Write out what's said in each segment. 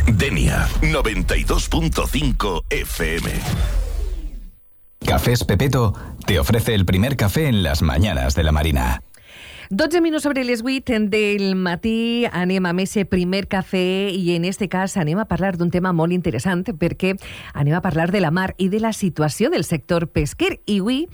Denia 92.5 FM. Cafés Pepeto te ofrece el primer café en las mañanas de la Marina. 12 minuts sobre les 8 del matí, anem amb ese primer cafè i en este cas anem a parlar d'un tema molt interessant perquè anem a parlar de la mar i de la situació del sector pesquer i avui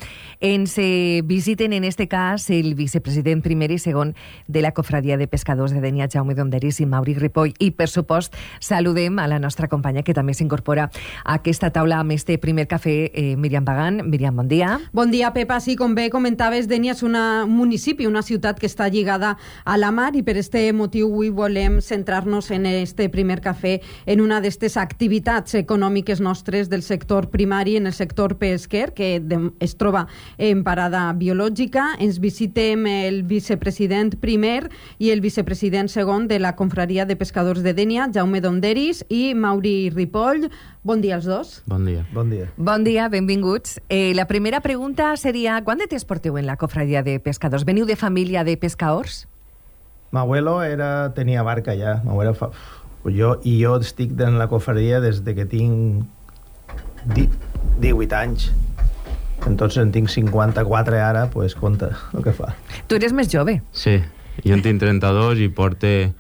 ens visiten en este cas el vicepresident primer i segon de la Cofradia de Pescadors de Dénia, Jaume Donderis i Mauri Ripoll, i per supost saludem a la nostra companya que també s'incorpora a aquesta taula amb este primer cafè, Míriam Bagan. Míriam, bon dia. Bon dia, Pepa. Sí, com bé comentaves, Dénia és un municipi, una ciutat que està lligada a la mar i per este motiu avui volem centrar-nos en este primer cafè en una d'aquestes activitats econòmiques nostres del sector primari, en el sector pesquer, que es troba en parada biològica. Ens visitem el vicepresident primer i el vicepresident segon de la Confraria de Pescadors de Dénia, Jaume Donderis i Mauri Ripoll. Bon dia als dos. Bon dia. Bon dia. Bon dia, benvinguts. La primera pregunta seria, quant de temps porteu en la Cofradia de Pescadors? Veniu de família de pescadors? M'abuelo tenia barca ja. Jo estic en la cofradia des de que tinc 18 anys. Entonces en tinc 54 ara, pues compta el que fa. Tu eres més jove. Sí, jo en tinc 32 i porte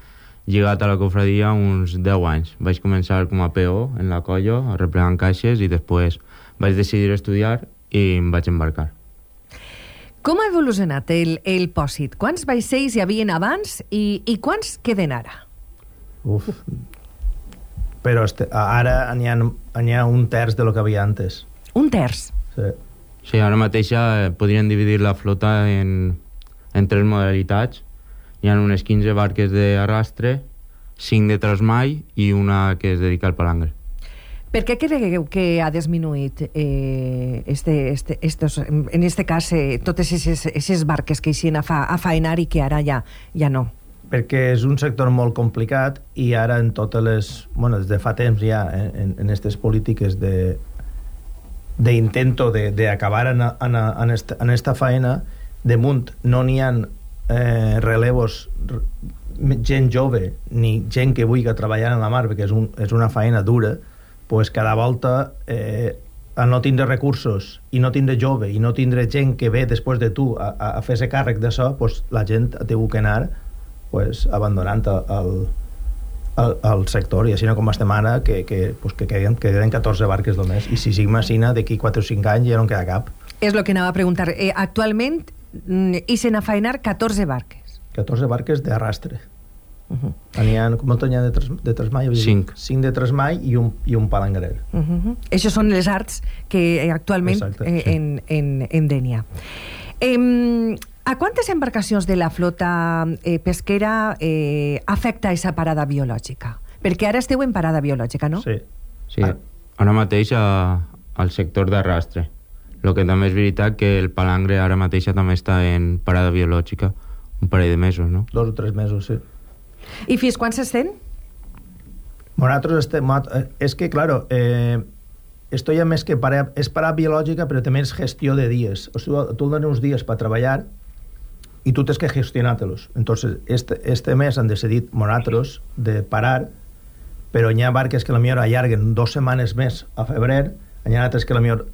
lligat a la cofradia uns 10 anys. Vaig començar com a PO en la colla, replegant caixes, i després vaig decidir estudiar i em vaig embarcar. Com ha evolucionat el pòsit? Quants vaixells hi havien abans i quants queden ara? Però ara n'hi ha un terç de lo que havia antes. Un terç? Sí. Sí, ara mateix podrien dividir la flota en 3 modalitats. Hi ha unes 15 barques d'arrastre, 5 de trasmai i una que es dedica al palangre. Per què creieu que ha disminuït en este cas totes aquestes barques que eixien a faenar i que ara ja no? Perquè és un sector molt complicat i ara en totes les... Bueno, des de fa temps ja en aquestes polítiques d'intento d'acabar en esta faena, damunt no n'hi ha relevos, gent jove ni gent que vulgui treballar en la mar, perquè és una faena dura. Pues cada volta al no tindre recursos i no tindre jove i no tindre gent que ve després de tu a fer-se càrrec d'això, pues la gent ha tingut que anar pues, abandonant el sector, i així com estem ara que queden 14 barques només, i si sigma aixina d'aquí 4 o 5 anys ja no en queda cap. És el que anava a preguntar. Actualment ixen a faenar 14 barques. 14 barques d'arrastre. N'hi ha, com n'hi ha de trasmai? 5 de trasmai i un palangrer. Això són les arts que actualment en Dénia. A quantes embarcacions de la flota pesquera afecta aquesta parada biològica? Perquè ara esteu en parada biològica, no? Sí. Ara mateix al sector d'arrastre. El que també és veritat que el palangre ara mateix també està en parada biològica un parell de mesos, no? 2 o 3 mesos, sí. I fins quan s'estén? Nosaltres estem... És que, claro, esto ya més que és parada biològica, però també és gestió de dies. O sigui, tu dones uns dies per treballar i tu tens que gestionar-te-los. Entonces, este mes han decidit nosaltres de parar, però hi ha barques que potser allarguen 2 setmanes més a febrer, hi ha altres que potser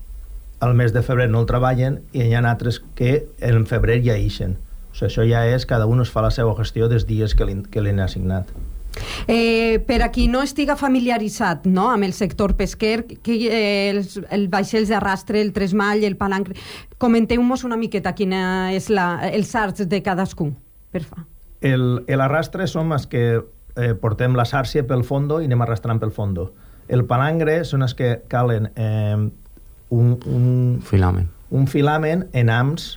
al mes de febrer no el treballen i hi ha altres que en febrer ja ixen. O sigui, això ja és, cada un es fa la seva gestió dels dies que li han assignat. Per a qui no estiga familiaritzat, no, amb el sector pesquer, el vaixells d'arrastre, el tresmall, el palangre, comenteu-nos una miqueta quina és els arts de cadascun. El arrastre som els que portem la sàrcia pel fondo i anem arrastrant pel fondo. El palangre són els que calen un filament en hams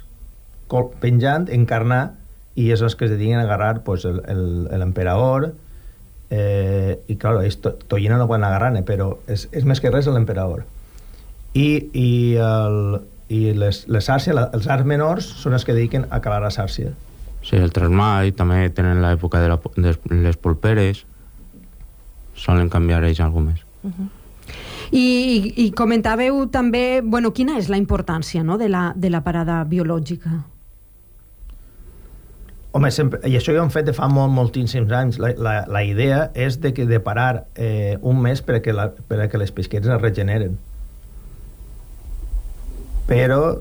penjant, encarnar, i és els que es dediquen a agarrar pues, l'emperador, i claro, tollina no poden agarrar, però és més que res l'emperador. I les sàrcies, els arts menors, són els que dediquen a calar la sàrcia. Sí, el trasmall, també tenen l'època de les polperes, solen canviar ells alguna més. I comentàveu també, bueno, quina és la importància, no, de la parada biològica? Home, sempre, i això ja ho hem fet de fa moltíssims anys. La idea és de parar un mes perquè les pesqueres es regeneren. Però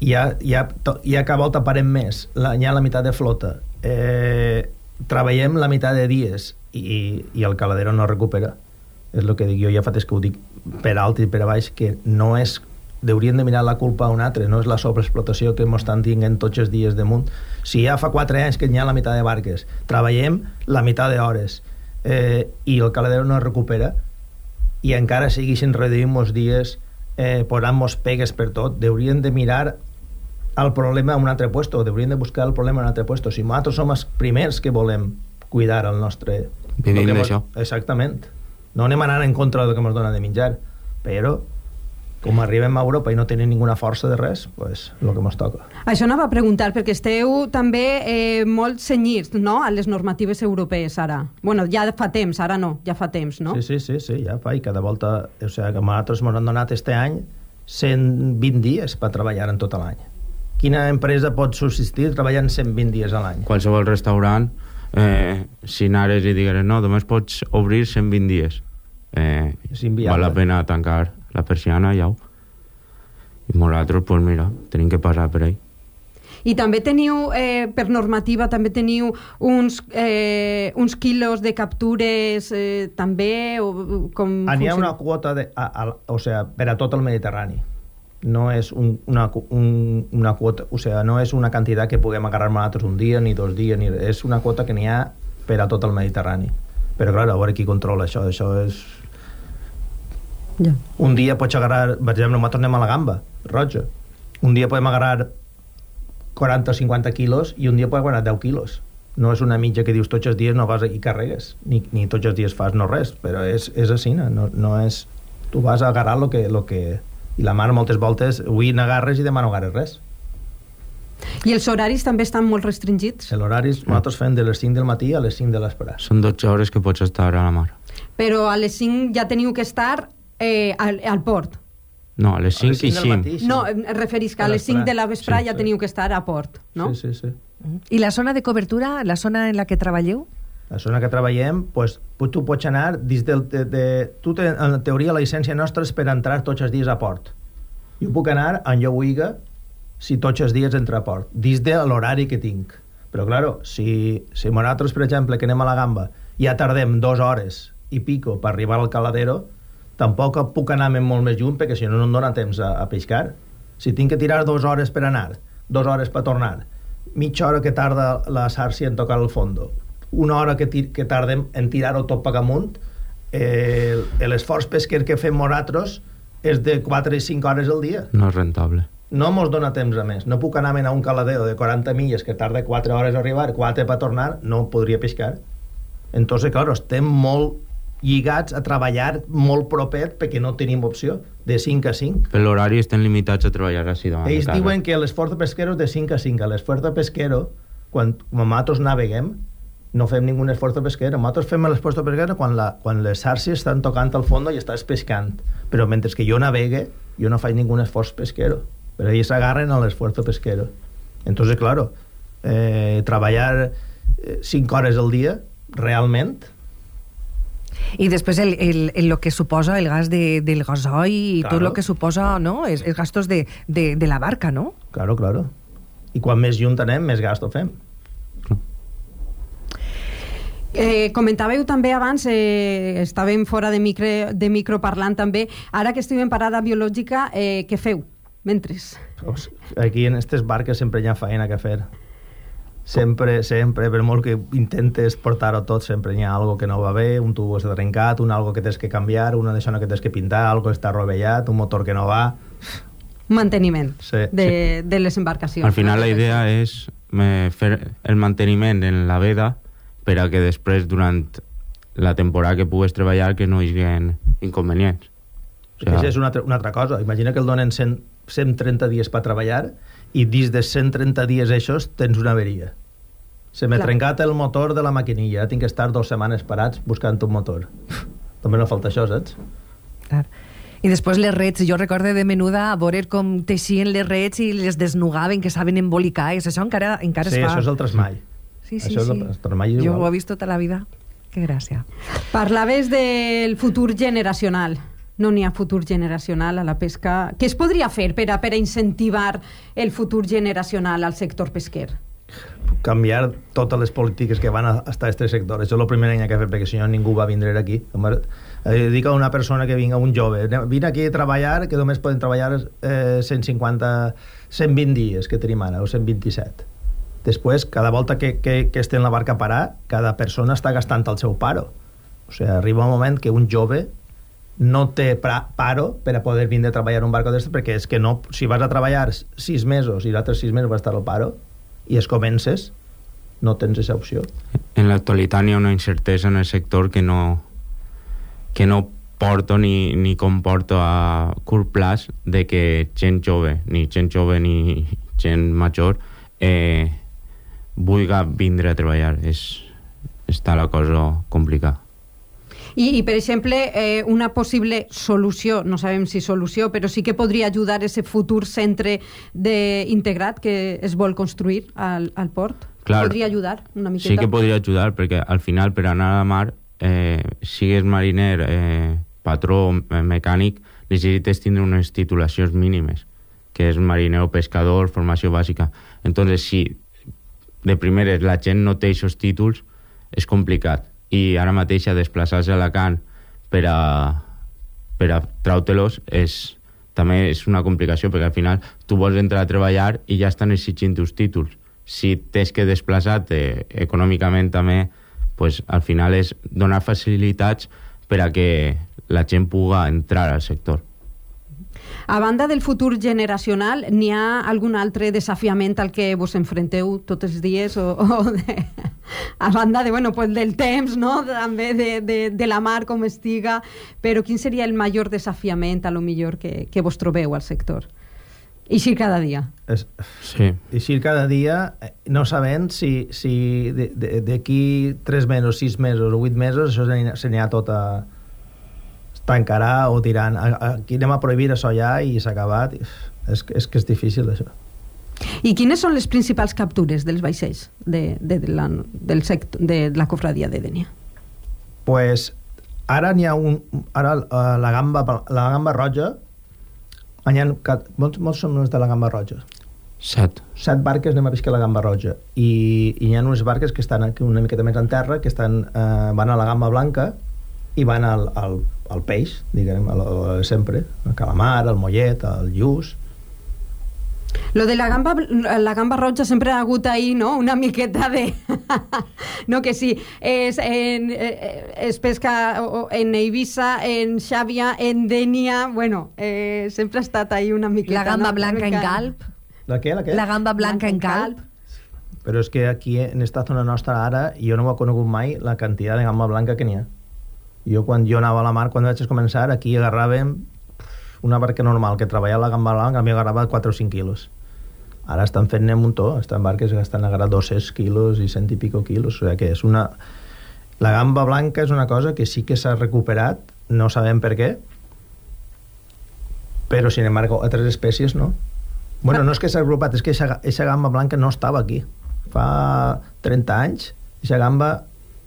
ja cada volta parem més. Hi ha la meitat de flota. Treballem la meitat de dies i el caladero no recupera. És el que dic jo, ja fa temps que ho dic per alt i per baix, que no és... Haurien de mirar la culpa a un altre, no és la sobreexplotació que ens estan tinguent tots els dies damunt. Si ja fa 4 anys que hi ha la meitat de barques, treballem la meitat d'hores i el caladero no es recupera i encara segueixen reduint els dies, posant-nos pegues per tot, haurien de mirar el problema a un altre puesto, haurien de buscar el problema a un altre puesto. Si nosaltres som els primers que volem cuidar el nostre... Vivim d'això. Exactament. No anem anant en contra del que ens dona de menjar, però com arribem a Europa i no tenim ninguna força de res, pues, el que ens toca. Això anava a preguntar, perquè esteu també molt cenyits, no?, a les normatives europees, ara. Bueno, ja fa temps, ara no, ja fa temps, no? Sí, ja fa, i cada volta... O sigui, que nosaltres ens han donat este any 120 dies per treballar en tot l'any. Quina empresa pot subsistir treballant 120 dies a l'any? Qualsevol restaurant, si anares i digueres, no, només pots obrir 120 dies. És inviable. Val la pena tancar la persiana, ja. I nosaltres, pues mira, tenim que passar per ahí. I també teniu, per normativa, també teniu uns quilos de captures, també, o com... N'hi ha una quota o sigui, per a tot el Mediterrani. No és una quota, o sigui, no és una quantitat que puguem agarrar nosaltres un dia, ni 2 dies, és una quota que n'hi ha per a tot el Mediterrani. Però, clar, a veure qui controla això. Això és... Ja. Un dia pots agarrar, per exemple, nosaltres anem a la gamba roja, un dia podem agarrar 40 o 50 quilos i un dia podem agarrar 10 quilos. No és una mitja que dius tots els dies no vas i carregues, ni tots els dies fas no res, però és així, no és... Tu vas a agarrar lo que... I la mar moltes voltes avui n'agarres i demà no agarres res. I els horaris també estan molt restringits? L'horari nosaltres fem de les 5 del matí a les 5 de l'espre. Són 12 hores que pots estar a la mar. Però a les 5 ja teniu que estar al port. No, a les 5 i 5. No, em referís que a les 5 de la vesprà ja teniu que estar a port, no? Sí. I la zona de cobertura, la zona en la que treballeu? La zona que treballem, pues, tu pots anar dins en teoria la llicència nostra és per entrar tots els dies a port. Jo puc anar on jo vulgui si tots els dies entra a port, dins de l'horari que tinc. Però, claro, si nosaltres, per exemple, que anem a la gamba, ja tardem 2 hores i pico per arribar al caladero, tampoc puc anar molt més lluny perquè si no em dona temps a pescar. Si tinc que tirar 2 hores per anar, 2 hores per tornar, mitja hora que tarda la sàrcia en tocar el fondo, 1 hora que tardem en tirar-ho tot per amunt, l'esforç pesquer que fem nosaltres és de 4 i 5 hores al dia. No és rentable. No mos dona temps a més. No puc anar a un caladero de 40 milles que tarda 4 hores a arribar, 4 per tornar, no podria pescar. Entonces, claro, estem molt lligats a treballar molt propet perquè no tenim opció, de 5 a 5. Per l'horari estem limitats a treballar així davant de Ells casa. diuen que l'esforç de pesquero és de 5 a 5. L'esforç de pesquero, quan nosaltres naveguem, no fem ningú esforç de pesquero. Nosaltres fem l'esforç de pesquero quan les xarxes estan tocant al fons i estàs pescant. Però mentre que jo navegue, jo no faig ningú esforç pesquero. Però ells s'agarren a l'esforç de pesquero. Entonces, claro, treballar 5 hores al dia, realment... I després el que suposa el gas del gasoil i Claro. tot el que suposa, no? Els gastos de la barca, no? Claro. I quan més junt anem, més gasto fem. Comentàveu també abans, estàvem fora de micro parlant també, ara que estiguem parada biològica, què feu mentres? Aquí en aquestes barques sempre hi ha feina que fer. Sempre, per molt que intentes portar-ho tot, sempre hi ha algo que no va bé, un tubo s'ha trencat, algo que tens que canviar, una deixona que tens que pintar, algo que està rovellat, un motor que no va... Manteniment Sí. de les embarcacions. Al final la idea és fer el manteniment en la veda per a que després, durant la temporada que pugues treballar, que no hi hagi inconvenients. O Això és una altra cosa. Imagina que el donen 130 dies per treballar i dins de 130 dies eixos tens una averia. Se m'ha trencat el motor de la maquinilla, tinc que estar 2 setmanes parats buscant un motor. També no falta això, saps? Clar. I després les rets, jo recorde de menuda a veure com teixien les rets i les desnugaven, que saben embolicar, i això encara Sí, es fa. això és el tresmall. Sí, Això sí. és per mai igual. Jo ho he vist tota la vida. Que gràcia. Parlaves del futur generacional. No n'hi ha futur generacional a la pesca. Què es podria fer per a incentivar el futur generacional al sector pesquer? Canviar totes les polítiques que van a estar a aquest sector. Això és el primer any que he fet, perquè si no ningú va vindre aquí. Dic a una persona que vinga, un jove, vine aquí a treballar, que només poden treballar 120 dies que tenim ara, o 127. Després, cada volta que esté en la barca a parar, cada persona està gastant el seu paro. O sigui, arriba un moment que un jove no té paro per a poder vindre a treballar en un barco d'estes, perquè és que no, si vas a treballar 6 mesos i els altres 6 mesos vas estar al paro i es comences, no tens aquesta opció. En l'actualitat hi ha una incertesa en el sector que no porto ni comporto a curt plaç de que gent jove ni gent major vulgui vindre a treballar. Està la cosa complicada. I per exemple, una possible solució, no sabem si solució, però sí que podria ajudar a ese futur centre integrat que es vol construir al port? Clar, podria ajudar una miqueta? Sí que podria ajudar, perquè al final per anar a la mar, sigues mariner, patró o mecànic, necessites tindre unes titulacions mínimes, que és mariner o pescador, formació bàsica. Entonces, si de primeres la gent no té aquests títols, és complicat. I ara mateix a desplaçar-se a Alacant per a treure-los també és una complicació, perquè al final tu vols entrar a treballar i ja estan exigint els títols. Si tens que desplaçar-te econòmicament també, pues, al final és donar facilitats per a que la gent pugui entrar al sector. A banda del futur generacional, n'hi ha algun altre desafiament al que vos enfronteu tots els dies? A banda del temps, no? També de la mar com estiga, però quin seria el major desafiament, a lo millor, que vos trobeu al sector? Eixir cada dia. Sí. Eixir cada dia, no sabent si d'aquí 3 mesos, 6 mesos o 8 mesos això se n'hi ha tot a tancarà o diran aquí anem a prohibir això ja i s'ha acabat. És que és difícil això. I quines són les principals captures dels vaixells de la cofradia de Dénia? Pues ara n'hi ha la gamba roja. Molts són els de la gamba roja. 7 barques anem a pescar la gamba roja i hi ha unes barques que estan una miqueta més en terra, que van a la gamba blanca i van al peix, diguem, sempre, el calamar, el mollet, el lluç. Lo de la gamba roja sempre ha hagut ahí, no? Una miqueta de... no, que sí, es pesca en Eivissa, en Xàbia, en Dénia, sempre ha estat ahí una miqueta... La gamba blanca en calp. La què? La gamba blanca en calp. Però és que aquí, en esta zona nostra ara, jo no ho he conegut mai la quantitat de gamba blanca que n'hi ha. Quan jo anava a la mar, quan vaig començar, aquí agarràvem una barca normal que treballava la gamba blanca, a mi agarrava 4 o 5 quilos. Ara estan fent un muntó, estan barques que estan agarrant 200 quilos i 100 i pico quilos, o sigui que és una... La gamba blanca és una cosa que sí que s'ha recuperat, no sabem per què, però sin embargo altres espècies no. No és que s'ha recuperat, és que aquesta gamba blanca no estava aquí. Fa 30 anys, aquesta gamba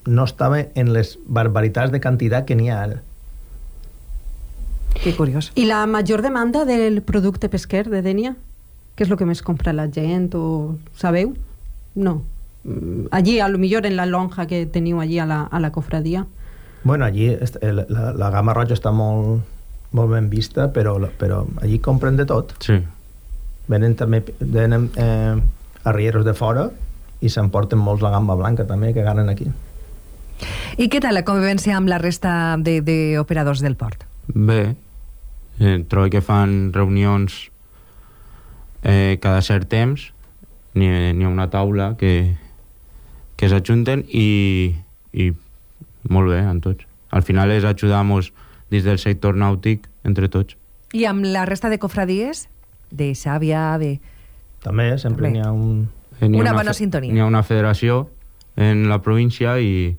no estava en les barbaritats de quantitat que n'hi ha ara. Que curiós. I la major demanda del producte pesquer de Dénia? Què és el que més compra la gent? O sabeu? No. Allí, a lo millor en la lonja que teniu allí a la cofradia. Allí la gamba roja està molt ben vista, però allí compren de tot. Sí. Venen arrieros de fora i s'emporten molts la gamba blanca també, que agarren aquí. I què tal la convivència amb la resta d'operadors del port? Bé, trobo que fan reunions cada cert temps, n'hi ha una taula que s'ajunten i molt bé amb tots. Al final és ajudar-nos dins del sector nàutic entre tots. I amb la resta de cofradies? De Xàbia, de... També, sempre n'hi ha una bona sintonia. N'hi ha una federació en la província i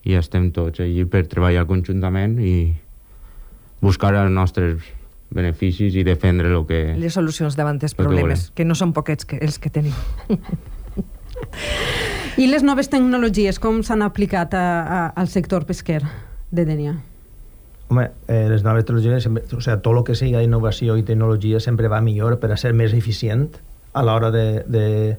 estem tots allí per treballar conjuntament i buscar els nostres beneficis i defendre les solucions davant dels problemes, que no són poquets els que tenim. I les noves tecnologies, com s'han aplicat al sector pesquer de Dénia? Home, les noves tecnologies, tot el que sigui innovació i tecnologia sempre va millor per a ser més eficient a l'hora de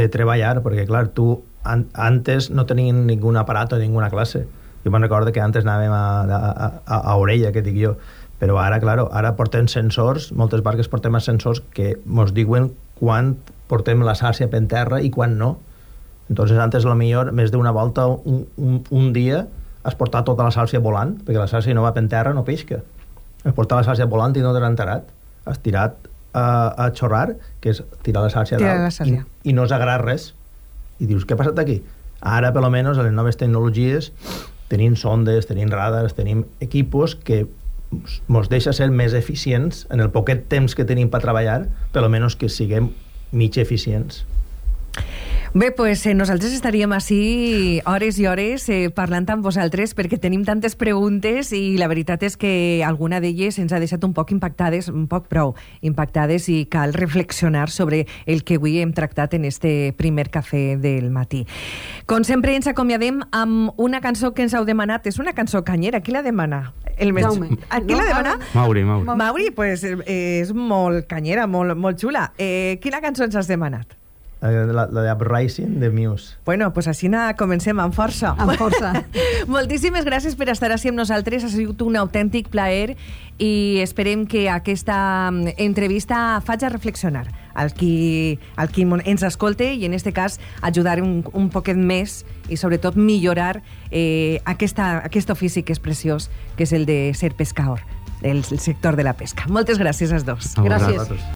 treballar, perquè, clar, tu antes no tenien ningú aparat o ninguna classe. Jo me'n recordo que antes anàvem a orella, que dic jo, però ara, claro, ara portem sensors, moltes barques portem sensors que ens diuen quan portem la sàrcia per terra i quan no. Entonces, antes, a lo millor, més d'una volta, un dia, has portat tota la sàrcia volant, perquè la sàrcia no va per terra, no pesca. Has portat la sàrcia volant i no t'has enterat. Has tirat a xorrar, que és tirar la sàrcia dalt, i no has agarrat res. I dius, què ha passat aquí? Ara, per almenys, a les noves tecnologies, tenim sondes, tenim radars, tenim equipos que ens deixa ser més eficients en el poquet temps que tenim per treballar, per almenys que siguem mig eficients. Bé, pues nosaltres estaríem així hores i hores parlant amb vosaltres perquè tenim tantes preguntes i la veritat és que alguna d'elles ens ha deixat un poc impactades, un poc prou impactades, i cal reflexionar sobre el que avui hem tractat en este primer cafè del matí. Com sempre ens acomiadem amb una cançó que ens heu demanat. És una cançó canyera. Qui la demana? Jaume. Qui la demana? Mauri. Mauri, pues és molt canyera, molt xula. Quina cançó ens has demanat? La de Uprising de Muse. Bueno, pues així comencem amb força. Amb força. Moltíssimes gràcies per estar així amb nosaltres. Ha sigut un autèntic plaer i esperem que aquesta entrevista faci reflexionar al qui ens escolte i en este cas ajudar un poquet més i sobretot millorar aquest ofici que és preciós, que és el de ser pescador, el sector de la pesca. Moltes gràcies als dos. Gràcies.